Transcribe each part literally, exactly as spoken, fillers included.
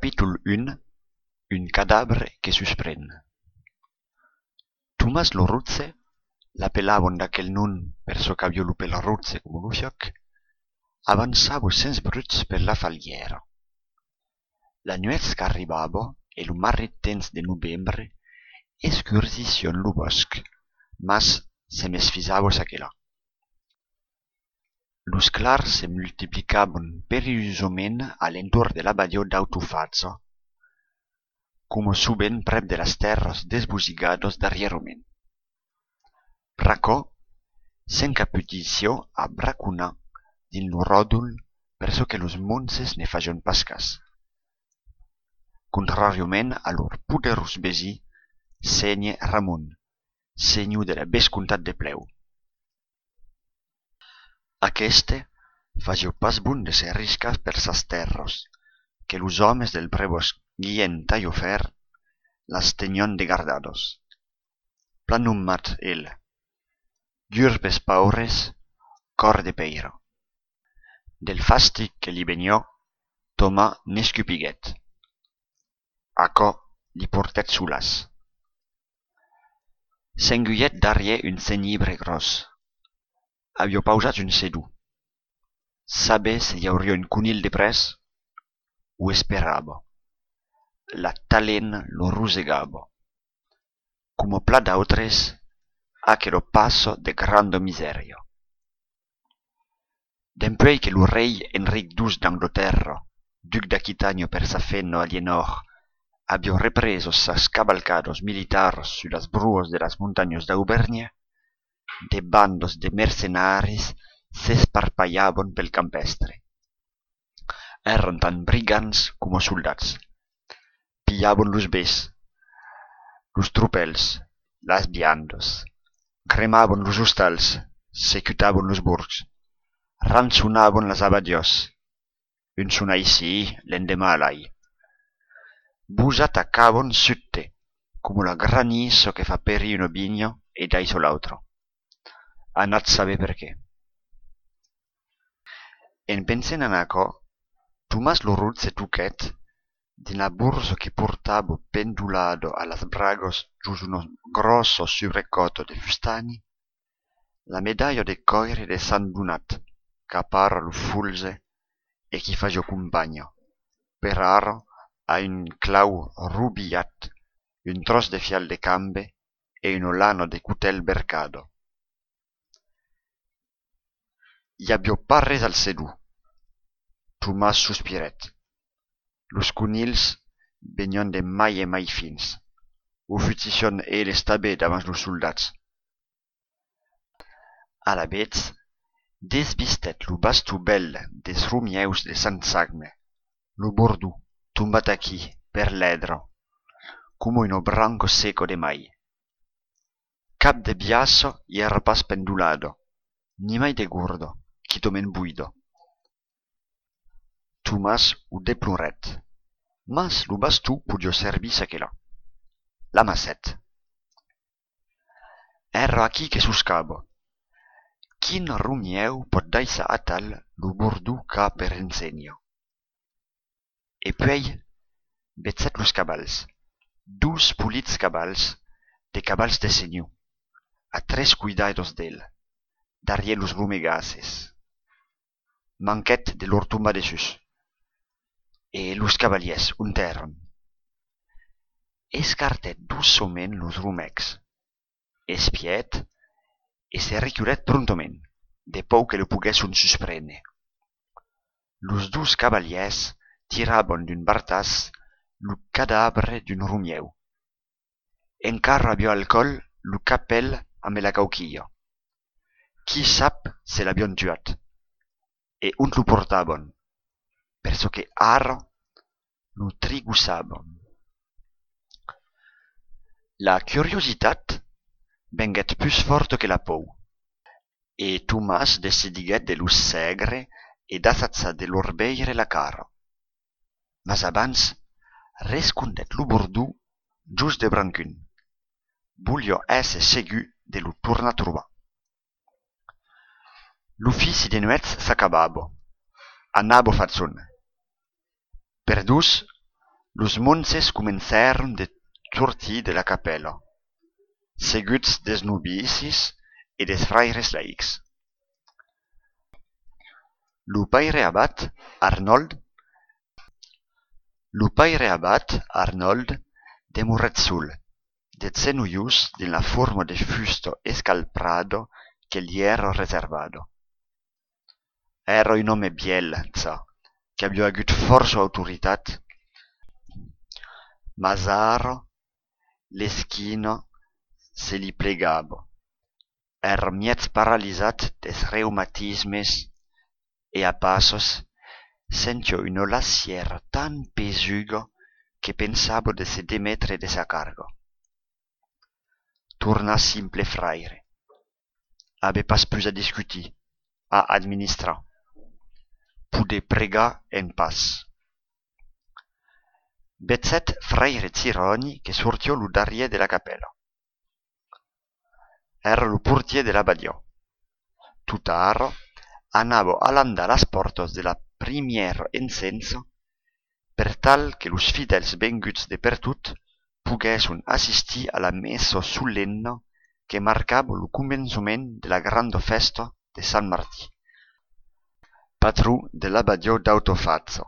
Capítol un. Un cadabre que suspren. Tomàs lo Rotge, l'apelavan d'aquel nom per çò qu'aviá lo pel rotge coma lo fuòc, avançava sens bruch per la falhièra. La nuèch qu'arribava e lo marrit temps de novembre escurgissián lo bòsc, mas se mesfisava çaquelà. Los clars se multiplicavan perilhosament a l'entorn de l'abadiá d'Autofaja, coma sovent prèp de las tèrras desbosigadas darrièrament. Pr'aquò, s'encapudissiá a braconar dins lo ròdol per çò que los monges ne fasián pas cas. Contràriament a lor poderós vesin, sénher Ramon, senhor de la vescomtat de Plèu. Aqueste fasiá pas bon de se riscar per sas tèrras, que los òmes del prevòst Guilhèm Talhafèrre las tenián de gardadas. Plan nomat el, dur pels paures, còr de pèira. Del fastig que li veniá, Tomàs n'escupiguèt. Aquò li portèt solàs. S'engulhèt darrièr un genibre gròs. Aviá pausat un sedon. Saber se i auriá un conilh de près? O esperava. La talena lo rosegava. Coma plan d'autres, aquela passa de granda misèria. Dempuèi que lo rei Enric dos d'Anglatèrra, duc d'Aquitània per sa femna Alienòr, aviá represa sas cavalcadas militaras sus las broas de las montanhas d'Auvèrnha, de bandas de mercenaris s'esparpalhavan pel campèstre. Èran tant brigants coma soldats. Pilhavan los bens, los tropèls, las viandas, cremavan los ostals, secutavan los borgs, rançonavan las abadiás, un jorn aicí, l'endeman alai. Vos atacavan subte, coma la granissa que fa perir una vinha e daissa l'autra. Anatz saber perqué. En pensent en aquò, Tomàs lo Rotge toquèt dins la borsa que portava pendolada a las bragas jos una gròssa subrecòta de fustani, la medalha de còire de Sant Donat qu'apara lo folge e qui fasiá companha, per ara, a un clau robilhat, un tròç de fial de cambe e una lana de cotèl vercada. I aviá pas res al sedon. Tomàs sospirèt. Los conilhs venián de mai en mai fins. O futissián eles tanben davant los soldats. Alavetz, desvistèt lo baston bèl dels romièus de Sant Jacme, lo bordon, tombat aquí, per l'èdra, coma una branca seca de mai. Cap de biaça i èra pas pendolada, ni mai de gorda, quitament voida. Tomàs o deplorèt, mas lo baston podiá servir çaquelà. L'amassèt. Èra aquí que soscava. Quin romièu pòt daissar atal lo bordon qu'a per ensenha? E puèi vegèt los cavals, dos polits cavals, de cavals de senhor, a tres coidadas d'el, darrièr los romegasses. Manquèt de lor tombar dessús. E los cavalièrs, ont èran? Escartèt doçament los romècs, espièt e se reculèt prontament, de paur que lo poguèsson suspréner. Los dos cavalièrs tiravan d'un bartàs lo cadabre d'un romièu. Encara aviá al còl lo capèl amb la cauquilha. Qui sap se l'avián tuat? E ont lo portavan? Per çò que ara lo trigossavan. La curiositat venguèt pus fòrta que la paur, e Tomàs decidiguèt de los sègre e d'assajar de lor veire la cara. Mas abans, rescondèt lo bordon jos de brancon. Voliá èsser segur de lo tornar trobar. L'ofici de nuèch s'acabava. Anava far jorn. Per dos, Los monges comencèron de sortir de la capèla, seguts dels novicis e dels fraires laics. Lo paire abat Arnold, lo paire abat Arnold demorèt sol, de genolhs dins la forma de fusta escalprada que li èra reservada. Èra un òme vièlh, ja, qu'aviá agut fòrça autoritat, mas ara l'esquina se li plegava. Èra mièg paralisat dels reumatismes e a passes sentiá una lassièra tan pesuga que pensava de se demetre de sa carga. Tornar simple fraire. Aver pas pus a discutir, a administrar. Poder pregar en patz. Vegèt fraire Giròni que sortiá lo darrièr de la capèla. Èra lo portièr de l'abadiá. Totara anava alandar las pòrtas de la primièra ensensa per tal que los fidèls venguts de pertot poguèsson assistir a la messa solemna que marcava lo començament de la granda fèsta de Sant Martin, patron de l'abadiá d'Autofaja.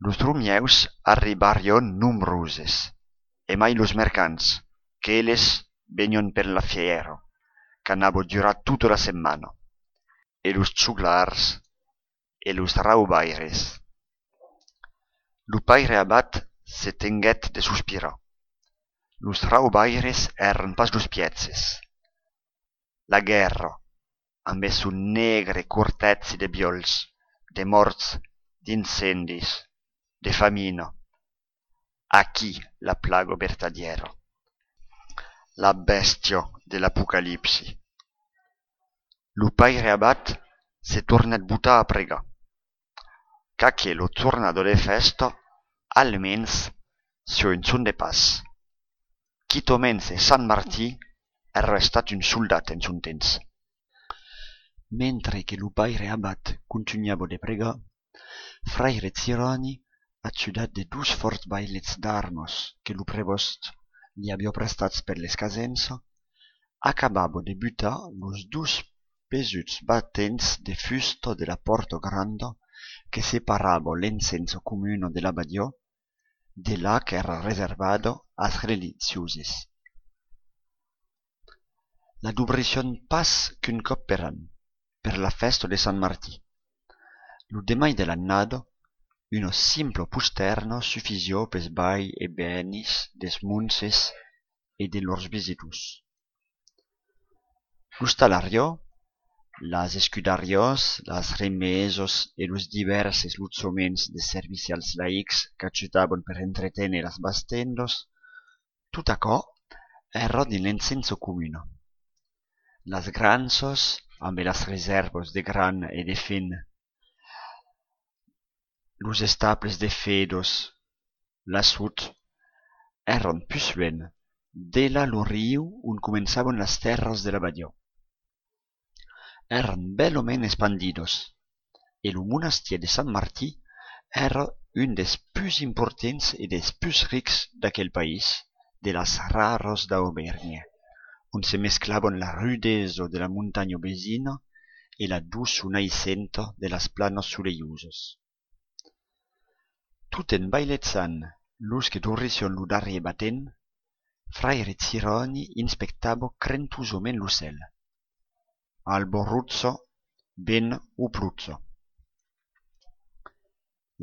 Los Romièus arribarián nombroses, e mai los mercants, qu'eles venián per la fièra, qu'anava durar tota la setmana, e los joglars e los raubaires. Lo paire abat se tenguèt de sospirar. Los raubaires èran pas los pièges. La guèrra, ambe son negre cortègi de viòls, de mòrts, d'incendis, de famina. Aquí la plaga vertadièra, la bèstia de l'Apocalipsi. Lo paire abat se tornèt botar a pregar. Qu'aquela jornada de fèsta, almens, siá un jorn de patz. Quitament se Sant Martin èra estat un soldat en son temps. Mentre que lo paire abat contunhava de pregar, fraire Giròni, ajudat de dos fòrts vailets d'armas que lo prevòst li aviá prestats per l'escasença, acabava de butar los dos pesuts batents de fusta de la pòrta granda que separava l'ensensa comuna de l'abadiá de la qu'èra reservada als religioses. La dobrissián pas qu'un còp per an, per la fèsta de Sant Martin. Lo demai de l'annada, una simpla postèrna sufisiá pels vai e venis dels monges e de lors visitors. L'ostalariá, las escudariás, las remesas e los divèrses lotjaments de servicials laics qu'ajudavan per entreténer las bastendas, tot aquò èra dins l'ensensa comuna. Las granjas, ambe las resèrvas de gran e de fen, los estables de fedas, la sot, èran pus luènh, delà lo riu ont començavan las tèrras de l'abadiá. Èran bèlament espandidas, e lo monastièr de Sant Martin èra un dels pus importants e dels pus rics d'aquel país, de las raras d'Auvèrnha, ont se mesclavan la rudesa de la montanha vesina e la doçor naissenta de las planas solelhosas. Tot en vailejant los que dobrissián lo darrièr batent, fraire Giròni inspectava crentosament lo cèl. Alba roja, vent o ploja.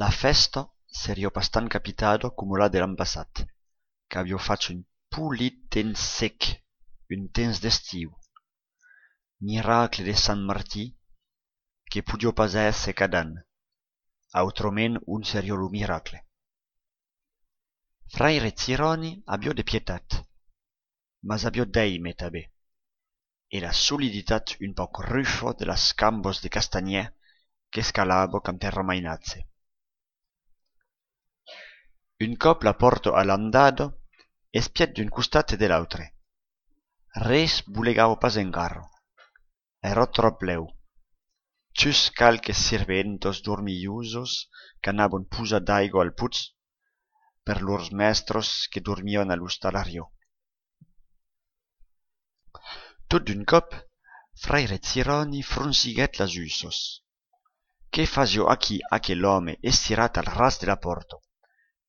La fèsta seriá pas tan capitada coma la de l'an passat, qu'aviá fach un polit temps sec, un temps d'estiu. Miracle de Sant Martin, que podiá pas èsser cada an, autrament ont seriá lo miracle? Fraire Giròni aviá de pietat, mas aviá d'èime tanben, e la soliditat un pauc rufa de las cambas de castanhièr qu'escalava quand èra mainatge. Un còp la pòrta alandada, espièt d'un costat e de l'autre. Res bolegava pas encara. Èra tròp lèu. Just qualques sirventas dormilhosas qu'anavan posar d'aiga al potz, per lors mèstres que dormián a l'ostalariá. Tot d'un còp, fraire Ciròni fronciguèt las ussas. Que fasiá aquí aquel òme estirat al ras de la pòrta,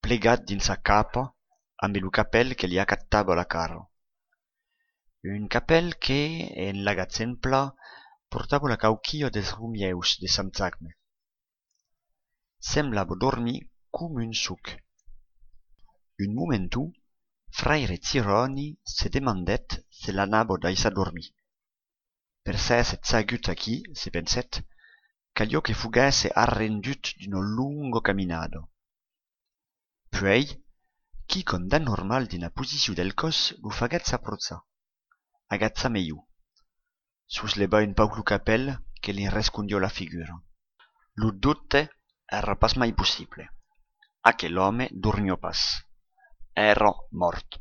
plegat dins sa capa, ambe lo capèl que li acatava la cara? Un capèl que, en l'agachent plan, portava la cauquilha dels romièus de Sant Jacme. Semblava dormir coma un soc. Un momenton, fraire Ciròni se demandèt se l'anava daissar dormir. Per s'èsser sagut aquí, se pensèt, caliá que foguèsse arrendut d'una longa caminada. Puèi, quicòm d'anormal dins la posicion del còs lo faguèt s'aprochar, agachar melhor, soslevar un pauc lo capèl que li rescondiá la figura. Lo dobte èra pas mai possible. Aquel òme dormiá pas. Èra mòrt.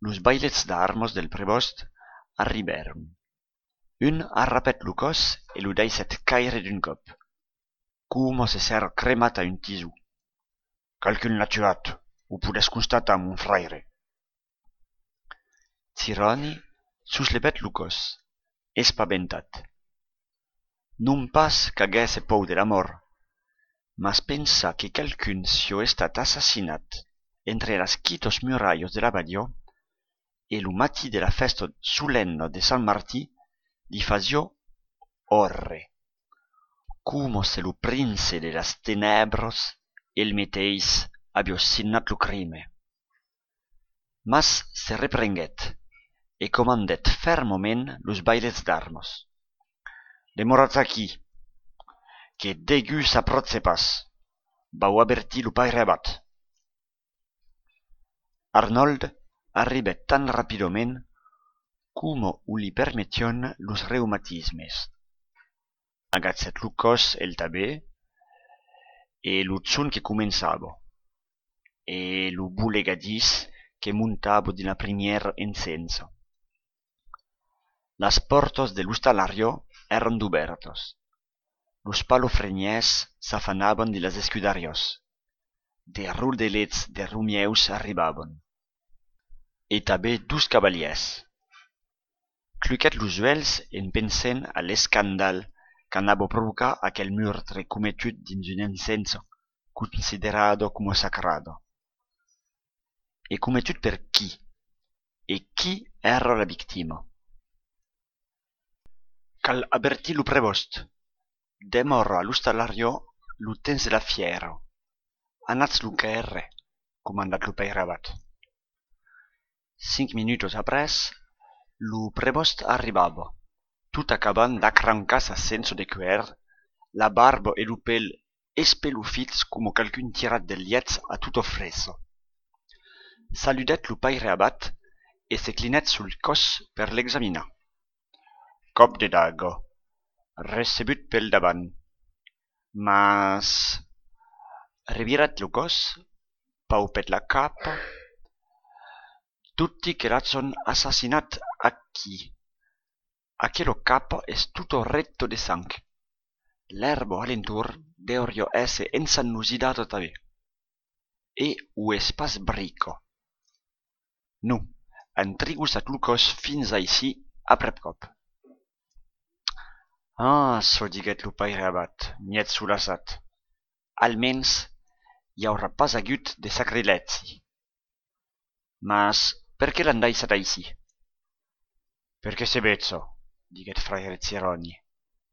Los vailets d'armas del prevòst arribèron. Un arrapèt lo còs e lo daissèt caire d'un còp, coma se s'èra cremat a un tison. Qualqu'un l'a tuat, o podètz constatar, mon fraire. Ciròni soslevèt lo còs, espaventat. Non pas qu'aguèsse paur de la mòrt, mas pensar que qualqu'un siá estat assassinat entre las quitas muralhas de l'abadiá e lo matin de la fèsta solennà de Sant Martin li fasiá òrre, coma se lo prince de las tenèbras el meteis aviá signat lo crime. Mas se reprenguèt e comandèt fermament los vailets d'armas: «Demoratz aquí, que degun s'apròche pas. Vau avertir lo paire abat.» Arnòld arribèt tan rapidament coma o li permetián los reumatismes. Agachèt lo còs el tanben, e lo jorn que començava, e lo bolegadís que montava dins la primièra encensa. Las pòrtas de l'ostalariá èran dobèrtas. Los palafrenièrs s'afanavan dins las escudariás. De rodelets de romièus arribavan. E tanben dos cavalièrs. Cluquèt los uèlhs en pensent a l'escandal qu'anava provocar aquel meurtre cometut dins una encensa considerada coma sacrada. E cometut per qui? E qui èra la victima? Cal avertir lo prevòst. Demòra a l'ostalariá lo temps de la fièra. Anatz lo quèrre, comandèt lo paire abat. Cinc minutas après, lo prevòst arribava, tot acabant d'acrancar sa censa de cuèr, la barba e lo pel espelofits coma qualqu'un tirat del lièch a tota fressa. Saludèt lo paire abat e se clinèt sul còs per l'examinar. Còp de daga, recebut pel davant. Mas revirèt lo còs, paupèt la capa. Dubti que l'agèn assassinat aquí. Aquela capa es tota recta de sang. L'èrba a l'entorn deuriá èsser ensannosidada tanben. E o es pas brica. Non, an trigossat lo còs fins aicí aprèp còp. Ah, çò, diguèt lo paire abat, mièg solaçat, almens i aurà pas agut de sacrilègi. Mas perqué l'an daissat aicí? Perque se veja, diguèt fraire Ciròni,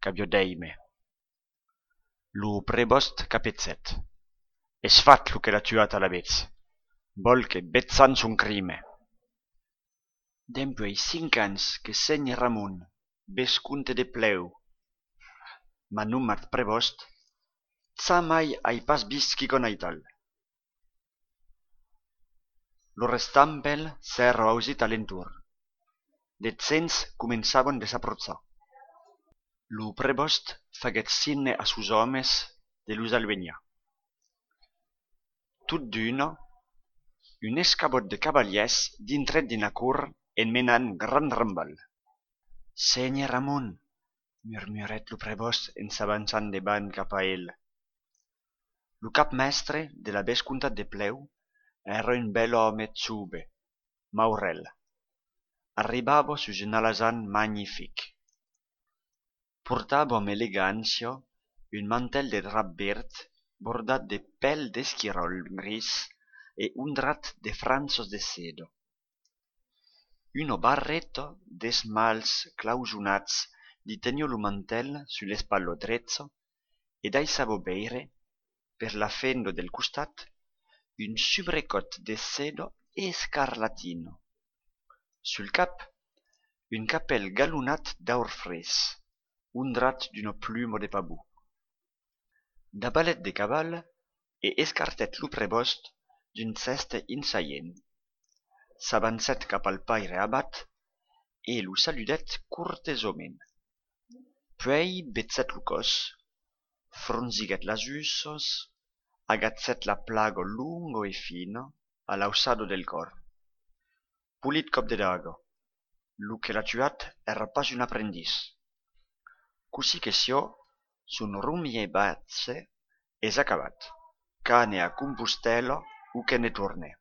qu'aviá d'èime. Lo prevòst capegèt. Es fach lo que l'a tuat alavetz. Vòl que vejam son crime. Dempuèi cinc ans que sénher Ramon, vescomte de Plèu, m'a nomat prevòst, jamai ai pas vist quicòm aital. Lo restampèl s'èra ausit a l'entorn. De gents començavan de s'aprochar. Lo prevòst faguèt signe a sos òmes de los alvenhar. Tot d'una, un escabòt de cavalièrs dintrèt dins la cort en menant grand rambalh. Sénher Ramon, murmurèt lo prevòst en s'avançant de banh cap a el. Lo capmèstre de la vescomtat de Plèu èra un bèl òme jove, maurèl. Arribava sus un alasan magnific. Portava amb elegància un mantèl de drap verd bordat de pèl d'esquiròl gris e ondrat de franjas de seda. Una barreta d'esmalhs clausonats li teniá lo mantèl sus l'espatla drecha e daissava veire, per la fenda del costat, un subrecòt de seda escarlatina. Sul cap, un capèl galonat d'aur fresc, ondrat d'una pluma de pavon. Davalet de caval e escartèt lo prevòst d'un gèste insaient. S'avancèt cap al paire abat e lo saludèt cortesament. Puèi bessèt lo còs, fronsiguèt las ussas, agachèt la plaga longa e fina a l'auçada del còr. Polit còp de daga! Lo que l'a tuat èra pas un aprendís. Cossí que siá, son romier-batge es acabat. Qu'ane a Compostèla o que ne torne.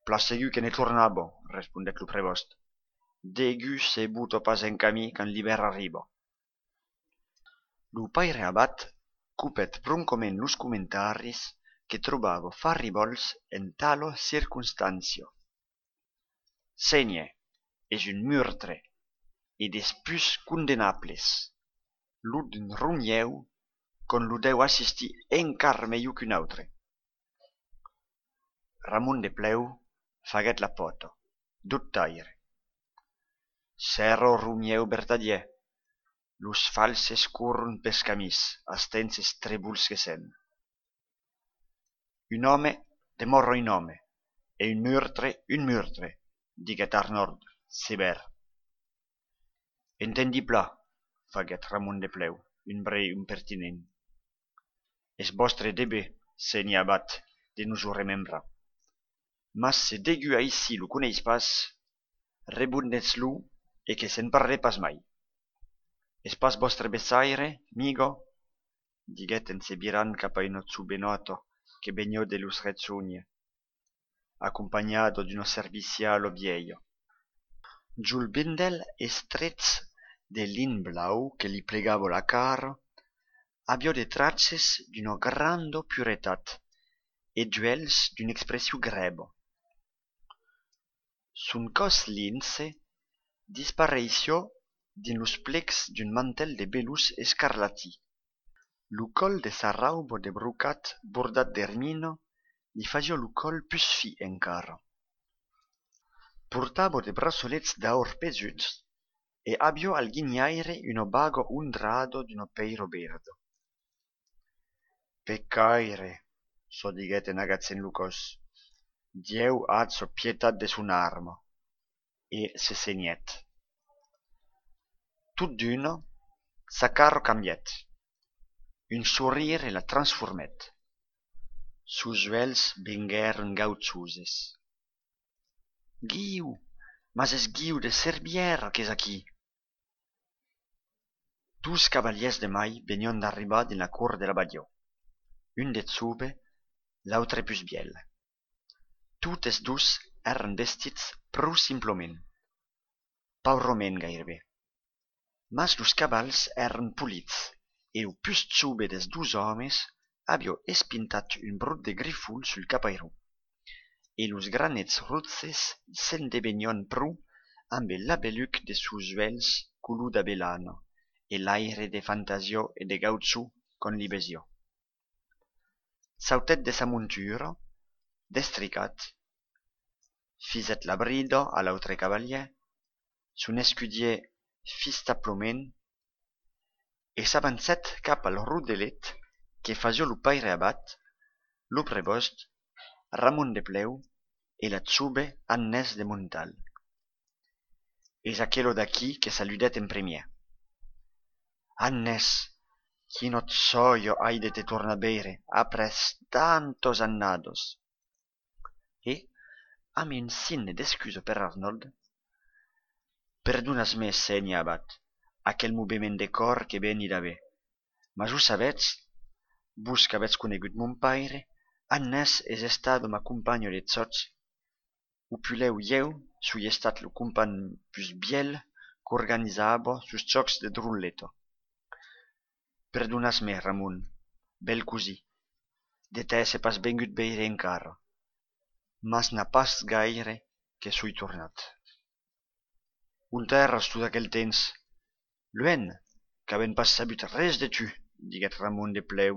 Plan segur que ne tornava, respondèt lo prevòst. Degun se bota pas en camin quand l'ivèrn arriba. Lo paire abat copèt broncament los comentaris que trobava farribòls en tala circonstància. Sénher, es un murtre, e des pus condemnables. Lo d'un romièu, qu'òm lo deu assistir encara melhor qu'un autre. Ramon de Plèu faguèt la pòta, dubtaire. S'èra romièu vertadièr, los falses corron pels camins, a esténser trebols que sèm. Un òme demòra un òme, e un murtre un murtre, diguèt Arnòld sevèr. Entendi plan, faguèt Ramon de Plèu, un brèu impertinent. Es vòstre dever, sénher abat, de nos o remembrar. Mas se degun aicí lo coneis pas, rebonetz-lo e que se'n parle pas mai. Es pas vòstre bessaire, miga? Diguèt en se virant cap a una jovenòta que veniá de los rejónher, acompanhada d'una serviciala vièlha. Jol vendèl estrech de lin blau que li plegava la cara aviá de traches d'una granda puretat e d'uèlhs d'una expression grèva. Son còs linse dispareissiá dins los plecs d'un mantèl de velós escarlatin. Lo còl de sa rauba de brocat bordat d'ermina li fasiá lo còl pus fin encara. Portava de braçolets d'aur pesuts e aviá al guinhaire una baga ondrada d'una pèira verda. Pecaire, çò diguèt en agachent lo còs, Dieu aja pietat de son arma, e se senhèt. Tot d'una, sa cara cambièt. Un sorire la transformèt. Sos uèlhs venguèron gaujoses. Guiu! Mas es Guiu de Cervièra qu'es aquí! Dos cavalièrs de mai venián d'arribar dins la cort de l'abadiá, un de jove, l'autre pus vièlh. Totes dos èran vestits pro simplament, paurament gaireben. Mas los cavals èran polits e lo pus jove dels dos òmes aviá espintat un brot de grifol sul capairon, e los granets roges s'endevenián pro ambe l'abeluc de sos uèlhs color d'avelana e l'aire de fantasiá e de gauchon qu'òm li vesiá. Sautèt de sa montura, destricat, fisèt la brida a l'autre cavalièr, son escudièr fistablament, e s'avancèt cap al rodelet que fasiá lo paire abat, lo prevòst, Ramon de Plèu e la jove Agnès de Montal. Es aquela d'aquí que saludèt en primièr. Agnès, quina jòia ai de te tornar veire après tantas annadas! E, amb un signe d'excusa per Arnòld: Perdonatz-me, sénher abat, aquel movement de còr que veni d'aver, mas o sabètz, Vos qu'avètz conegut mon paire, Agnès es estada ma companha de jòcs, o puslèu ieu soi estat lo companh pus vièlh qu'organizava sos jòcs de droleta. Perdonatz-me, Ramon, bèl cosin, de t'èsser pas vengut veire encara, mas n'a pas gaire que soi tornat. Ont èras tot aquel temps? Luènh, qu'avèm pas sabut res de tu, diguèt Ramon de plèu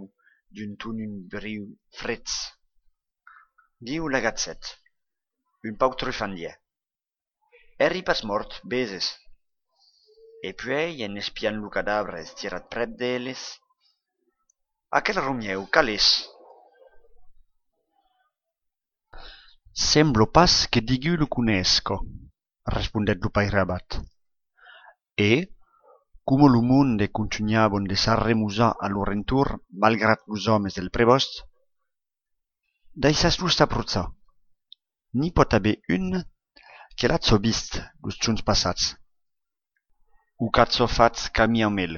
d'un ton un briu freg. Guiu l'agachèt, un pauc trufandièr. Èri pas mòrt, veses. E puèi, en espiant lo cadavre estirat prèp d'eles: Aquel Romieu, qual es? Sembla pas que degun lo conesca, respondèt lo paire abat. E, coma lo monde contunhavan de s'arremusar a lor entorn, malgrat los òmes del prebòst: Daissatz-los s'aprochar. N'i pòt aver un que l'aja vist los jorns passats, o qu'aja fach camin amb el.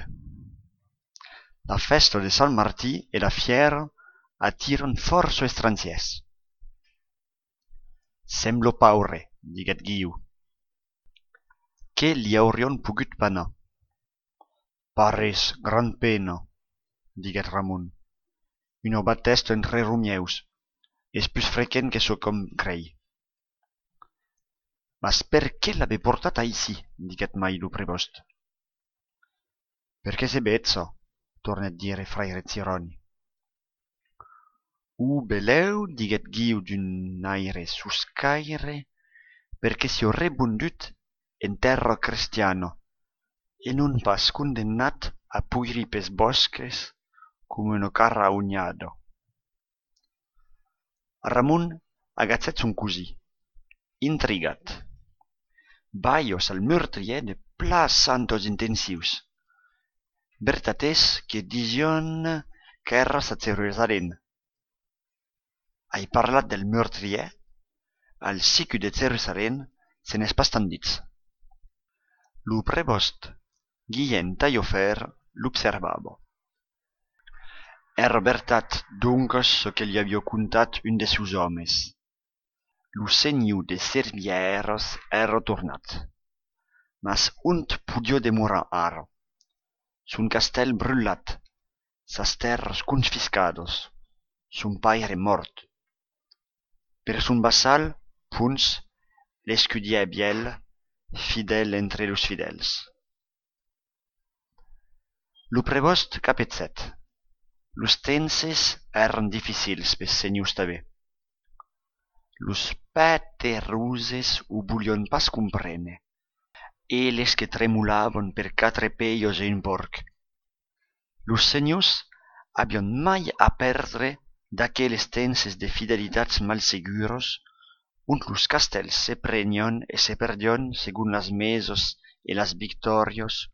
La fèsta de Sant Martin e la fièra atiran fòrça estrangièrs. Sembla paure, diguèt Guiu. Que li aurián pogut panar? Pas res, grand pena, diguèt Ramon. Una batèsta entre Romièus. Es pus frequent que çò qu'òm crei. Mas perqué l'aver portat aicí? Diguèt mai lo prebòst. Perqué se veja, tornèt dire fraire Giròni. O belèu, diguèt Guiu d'un aire soscaire, perqué siá rebondut en tèrra crestiana e non pas condemnat a poirir pels bòsques coma una carraunhada. Ramon agachèt son cosin, intrigat. Balhas al meurtrièr de plan santas intencions. Vertat es que disián qu'èras a Jerusalèm. Ai parlat del meurtrièr, al sicut de Jerusalèm se n'es pas tant dit. Lo prebòst Guilhèm Talhafèrre l'observava. Èra vertat, doncas, çò que li aviá contat un de sos òmes. Lo senhor de Cervièras èra tornat. Mas ont podiá demorar ara? Son castèl brutlat, sas tèrras confiscadas, son paire mòrt. Per son vassal, Pons, l'escudièr vièlh, fidèl entre los fidèls. Lo prebòst capegèt. Los tempses èran dificils pels senhors tanben. Los pateroses o volián pas comprene, eles que tremolavan per quatre pelhas e un pòrc. Los senhors avián mai a pèrdre d'aqueles tempses de fidelitats mal seguras, ont los castèls se prenián e se perdián segon las mesas e las victòrias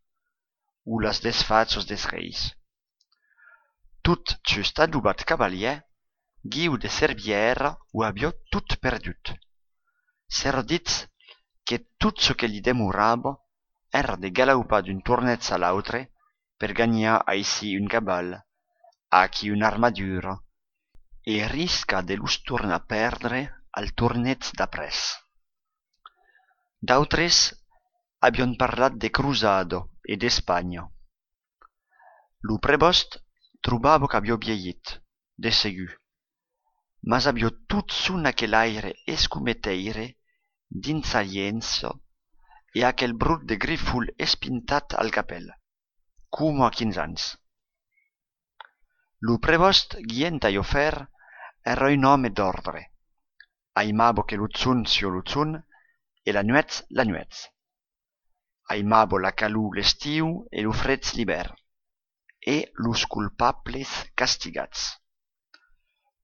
o las desfachas dels reis. Tot just adobat cavalièr, Guiu de Cervièra o aviá tot perdut. S'èra dit que tot çò que li demorava èra de galaupar d'un torneig a l'autre per ganhar aicí un caval, aquí una armadura, e riscar de los tornar pèrdre al torneig d'après. D'autres avián parlat de crosada e d'Espanha. Lo prebòst trobava qu'aviá vielhit, de segur, mas aviá totjorn aquel aire escometeire d'insaliéncia e aquel brot de grifol espintat al capèl, coma a quinze ans. Lo prebòst Guilhèm Talhafèrre èra un òme d'òrdre. Aimava que lo jorn siá lo jorn e la nuèch la nuèch. Aimava la calor l'estiu e lo freg l'ivèrn, e los colpables castigats.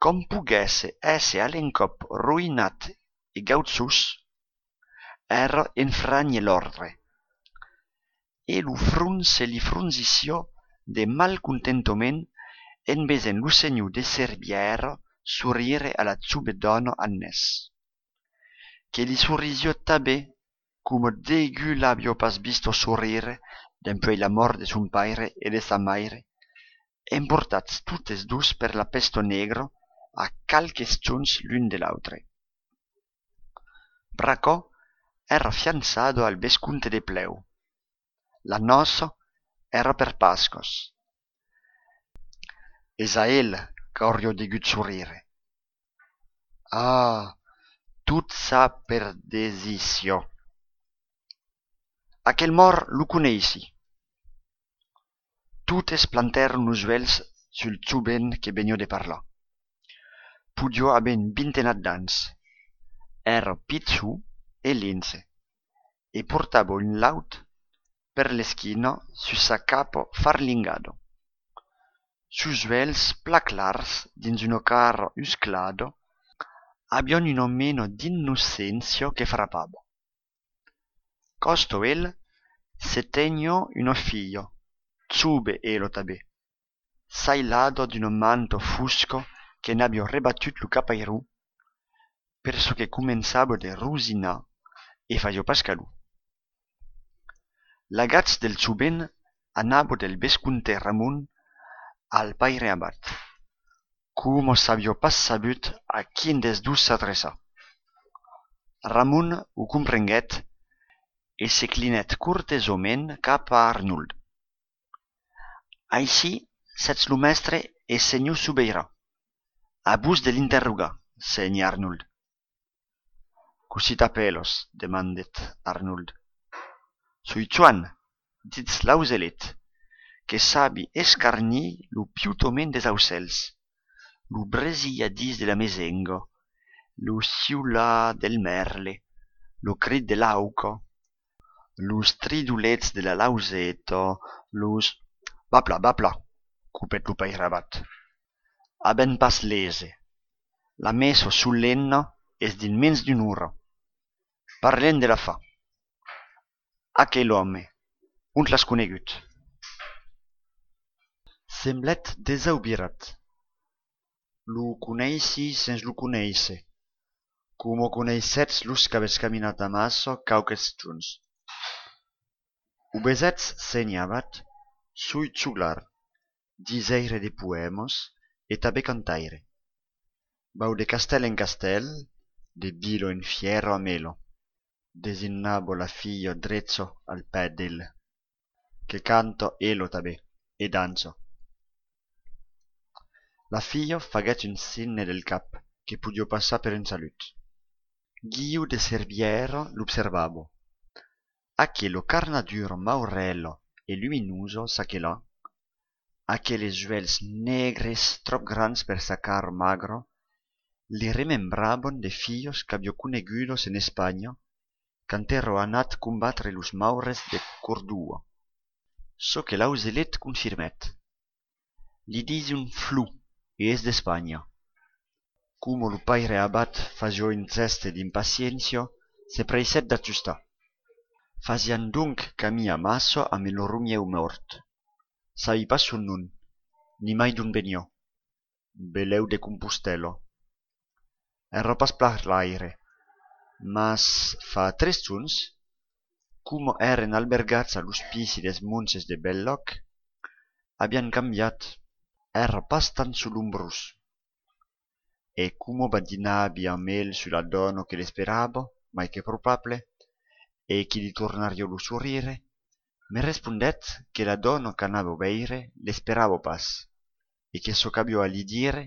Qu'òm poguèsse èsser a l'encòp roïnat e gauchós, èra enfranhir l'òrdre. E lo front se li frongissiá de malcontentament en vesent lo senhor de Cervièra sorire a la jove dòna Agnès, que li sorisiá tanben coma degun l'aviá pas vista sorire dempuèi la mòrt de son paire e de sa maire, emportats totes dos per la pèsta negra a qualques jorns l'un de l'autre. Bracò èra fiançada al vescomte de Plèu. La nòça èra per Pascas. Es a el qu'auriá degut sorrire. Ah, tot sa per desicion. Aquel mòrt lo coneissi. Totes plantèron los uèlhs sul jovent que veniá de parlar. Podiá aver un vintenat d'ans. Èra pichon e linse, e portava un laut per l'esquina sus sa capa farlingada. Sos uèlhs, plan clars dins una cara usclada, avián una mena d'innocéncia que frapava. Còsta el se teniá una filha, jove ela tanben, sailada d'una manta fosca que n'aviá rebatut lo capairon, per çò que començava de rosinar e fasiá pas calor. L'agach del jovent anava del vescomte Ramon al paire abat, coma s'aviá pas sabut a quin dels dos s'adreçar. Ramon o comprenguèt e se clinèt cortesament cap a Arnold. Aicí sètz lo mèstre e senhor Sobeirà. A vos de l'interrogar, sénher Arnold. Cossí t'apèlas? Demandèt Arnold. Soi Joan, dich l'auselet, que sabi escarnir lo piutament des aucèls, lo bresilhadís de la mesenga, lo siular del mèrle, lo crit de l'auca, los tridolets de la lauseta, los... Va plan, va plan, copèt lo paire abat. Avèm pas l'ese. La messa solemna es dins mens d'una ora. Parlem de l'afar. Aquel òme, ont l'as conegut? Semblèt desaubirat. Lo coneissi sens lo conéisser, coma coneissètz los qu'avètz caminat amassa quauques jorns. O vesètz, sénher abat, soi joglar, disaire de poèmas e tanben cantaire. Vau de castèl en castèl, de vila en fièra amé la, designava la filha drecha al pè d'el, que canta ela tanben e dança. La filha faguèt un signe del cap que podiá passar per un salut. Guiu de Cervièra l'observava. Aquela carnadura maurèla e luminosa çaquelà, aqueles uèlhs negres tròp grands per sa cara magra, li remembravan de filhas qu'aviá conegudas en Espanha quand èra anat combatre los maures de Còrdova. Çò que l'auselet confirmèt. Li dison Flo e es d'Espanha. Coma lo paire abat fasiá un gèste d'impaciéncia, se preissèt d'ajustar. Fasián donc camin amassa amb lo romièu mòrt. Sabi pas son nom, ni mai d'ont veniá. Belèu de Compostèla. Èra pas parlaire, mas fa tres jorns, coma èren albergats a l'ospici dels monges de Bèlòc, avián cambiat, èra pas tan solombrós. E coma badinavi amb el sus la dòna que l'esperava, mai que probable, e qui li tornariá lo sorrire, me respondèt que la dòna qu'anava veire l'esperava pas, e que çò qu'aviá a li dire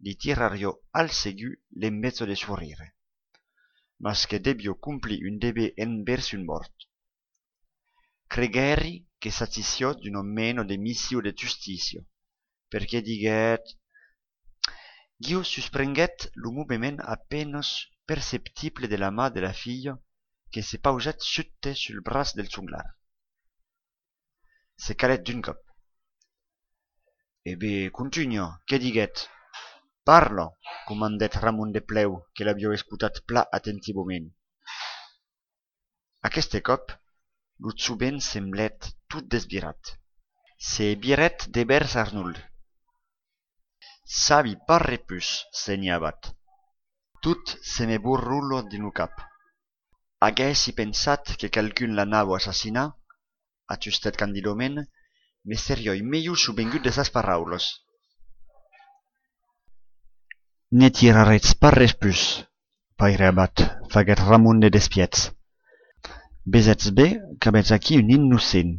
li tirariá al segur l'enveja de sorrire, mas que deviá complir un dever envèrs un mòrt. Creguèri que s'agissiá d'una mena de mission de justícia, perque diguèt... Guiu susprenguèt lo movement a penas perceptible de la man de la filha que se pausèt subte sul braç del joglar. Se calèt d'un còp. E ben, contunha, que diguèt? Parla, comandèt Ramon de Plèu, que l'aviá escotat plan atentivament. Aqueste còp, lo jovent semblèt tot desvirat. Se virèt devèrs Arnold. Sabi pas res pus, sénher abat. Tot se me borrola dins lo cap. Aguèssi pensat que qualqu'un l'anava assassinar, ajustèt candidament, me seriái melhor sovengut de sas paraulas. Ne tiraretz pas res pus, paire abat, faguèt Ramon de despièch. Vesètz ben qu'avètz aquí un innocent.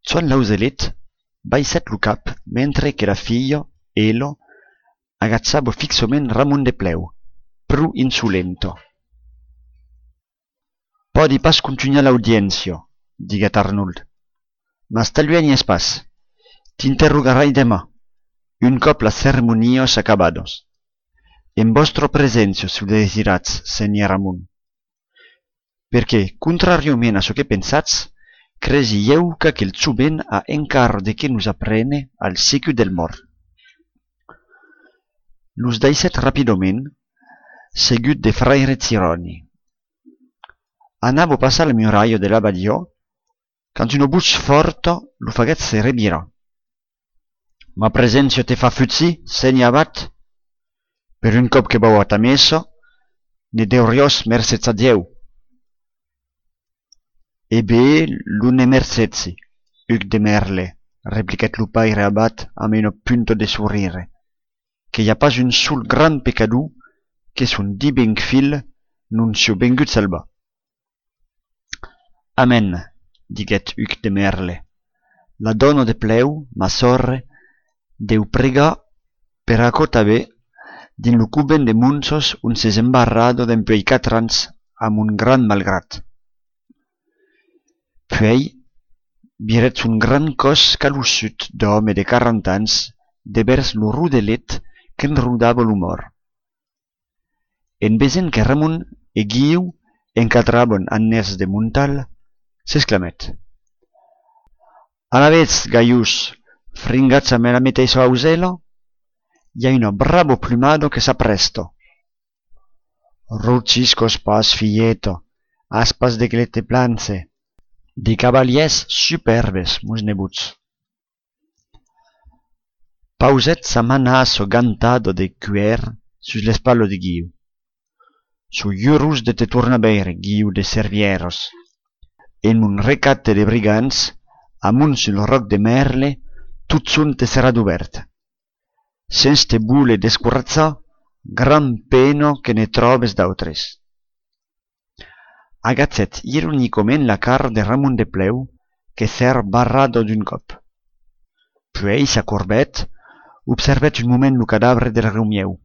Joan Lauselet baissèt lo cap mentre que la filha, ela, agachava fixament Ramon de Plèu, pro insolenta. Pòdi pas contunhar l'audiéncia, diguèt Arnold, mas t'aluènhes pas. T'interrogarai deman, un còp las ceremonias acabadas. En vòstra preséncia, se o desiratz, sénher Ramon. Perque, contràriament a çò que pensatz, cresi ieu qu'aquel jovent a encara de qué nos aprene al segur del mòrt. Los daissèt rapidament, seguit de fraire Giròni. Anava passar la muralha de l'abadiá quand una votz fòrta lo faguèt se revirar. Ma preséncia te fa fugir, sénher abat? Per un còp que vau a ta messa, ne deuriás mercejar Dieu. E ben, lo ne mercegi, Hugues de Merle, repliquèt lo paire abat amb una punta de sorire, que i a pas un sol grand pecador que son divin filh non siá vengut salvar. Amèn, diguèt Hugues de Merle. La dòna de Plèu, ma sòrre, deu pregar per aquò tanben dins lo covent de monjas ont s'es embarrada dempuèi quatre ans amb un grand malgrat. Puèi, virèt son grand còs calossut d'òme de quaranta ans devèrs lo rodelet qu'enrodava lo mòrt. En vesent que Ramon e Guiu encadravan Agnès de Montal, s'exclamèt: Alavetz, gajós, fringatz amb la meteissa ausèla, i a una brava plumada que s'aprèsta. Rogiscas pas, filheta, as pas de qué te planhar. De cavalièrs supèrbes, mos nebots. Pausèt sa manassa gantada de cuèr sus l'espatla de Guiu. Soi urós de te tornar veire, Guiu de Servièras. En mon recapte de brigands, amont sul ròc de Merle, totjorn te serà dubèrt. Sens te voler descoratjar, grand pena que ne tròbes d'autres. Agachèt ironicament la cara de Ramon de Plèu, que s'èra barrada d'un còp. Puèi s'acorbèt, observèt un moment lo cadavre del Reumièu.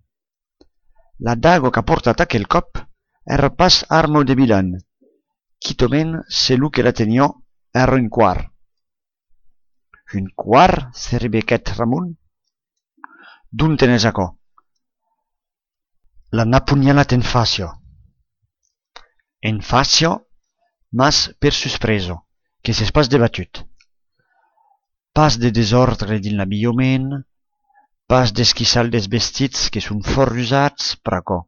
La daga qu'a portat aquel còp èra pas arma de vilan, quitament se lo que la teniá èra un quart. Un quart? Se rebequèt Ramon. D'ont tenes aquò? L'an apunhalat en fàcia. En fàcia, mas per suspresa, que s'es pas debatut. Pas de desòrdre dins l'abilhament, pas d'esquissal dels vestits que son fòrt usats pr'aquò.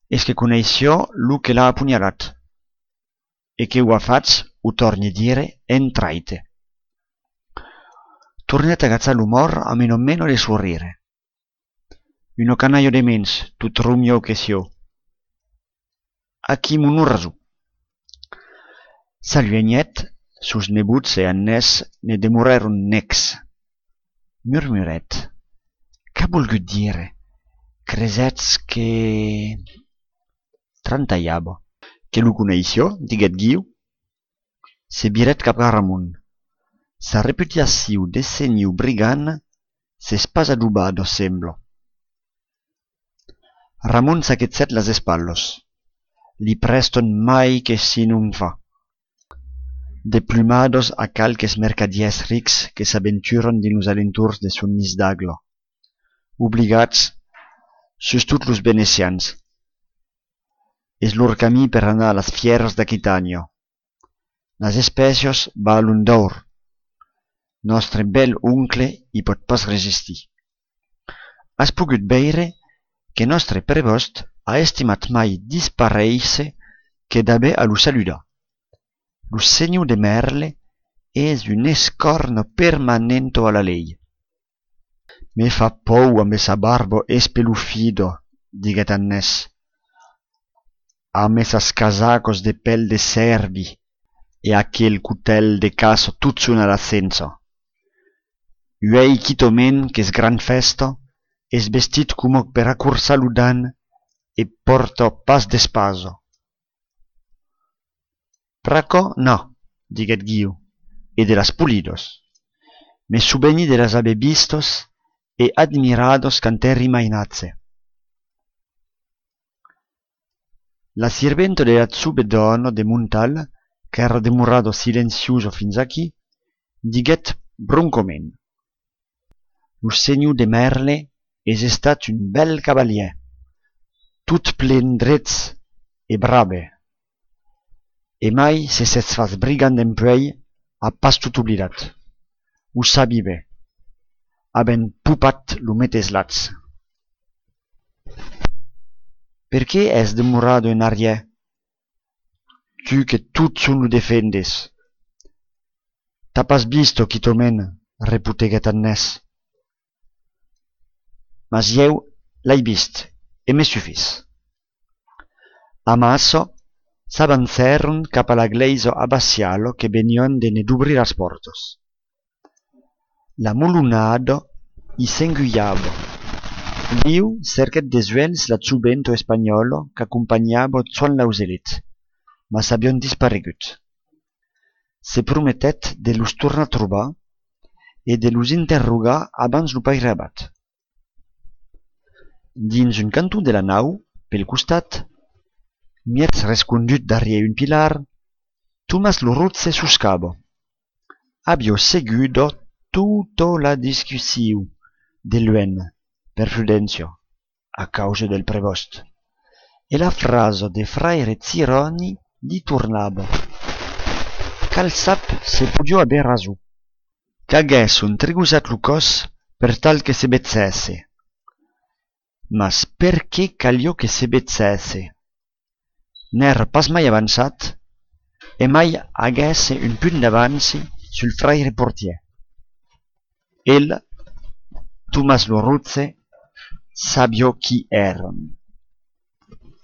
Es que coneissiá lo que l'a apunhalat, e que o a fach, o tòrni dire, en traite. Tornèt agachar lo mòrt amb una mena de sorire. Una canalha de mens, tot romiau que siá. Aquí mos n'auràs un. S'aluenhèt, sos nebots e Agnès ne demorèron necs. Murmurèt: Qu'a volgut dire? Cresètz que... Trantalhava. Que lo coneissiá, diguèt Guiu. Se virèt cap a Ramon. Sa reputacion de sénher brigand s'es pas adobada, sembla. Ramon saquegèt las espatlas. Li prèstan mai que si non fa. De plumadas a qualques mercadièrs rics que s'aventuran dins los alentorns de son nis d'agla, obligats, sustot los venecians. Es lor camin per anar a las fièras d'Aquitània. Las espècias valon d'òr. Nòstre bèl oncle i pòt pas resistir. As pogut veire que nòstre prevòst a estimat mai disparéisser que d'aver a lo saludar. Lo senhor de Merle es una escòrna permanenta a la lei. Me fa paur ambe sa barba espelofida, diguèt Agnès, ambe sas casacas de pèl de cèrvi, e aquel cotèl de caça totjorn a la censa. Uèi quitament qu'es gran fèsta, es vestit coma per acorçar lo dan e pòrta pas d'espasa. Pr'aquò, na, diguèt Guiu, e de las polidas. Me soveni de las aver vistas e admiradas quand èri mainatge. La sirventa de la jove dòna de Montal, qu'èra demorada silenciosa fins aquí, diguèt broncament: Lo senhor de Merle es estat un bèl cavalièr, tot plen drets e brave. E mai se s'es fach brigand dempuèi, a pas tot oblidat. O sabi ben. Avèm popat lo meteis lach. Perqué es demorada en arrièr, tu que totjorn lo defendes? T'as pas vist, quitament, repoteguèt Agnès. Mas ieu l'ai vist, e me sufís. Amassa, s'avancèron cap a la glèisa abbassiala que venián de ne dobrir las pòrtas. La molonada i s'engulhava. Guiu cerquèt de joens la joventa espanhòla qu'acompanhava Joan Lauselet, mas avián disparegut. Se prometèt de los tornar trobar e de los interrogar abans lo pairabat. Dins un canton de la nau, pel costat, mièg rescondut darrièr un pilar, Tomàs lo Rotge soscava. Aviá seguda tota la discussion de luènh, per prudéncia, a causa del prevòst, e la frasa de fraire Giròni li tornava. Qual sap se podiá aver rason. Qu'aguèsson trigojat lo còs per tal que se vegèsse. Mas perqué caliá que se vegèsse? N'èra pas mai avançat, e mai aguèsse un punt d'avanci sul fraire portièr. El, Tomàs lo Rotge, sabiá qui èran.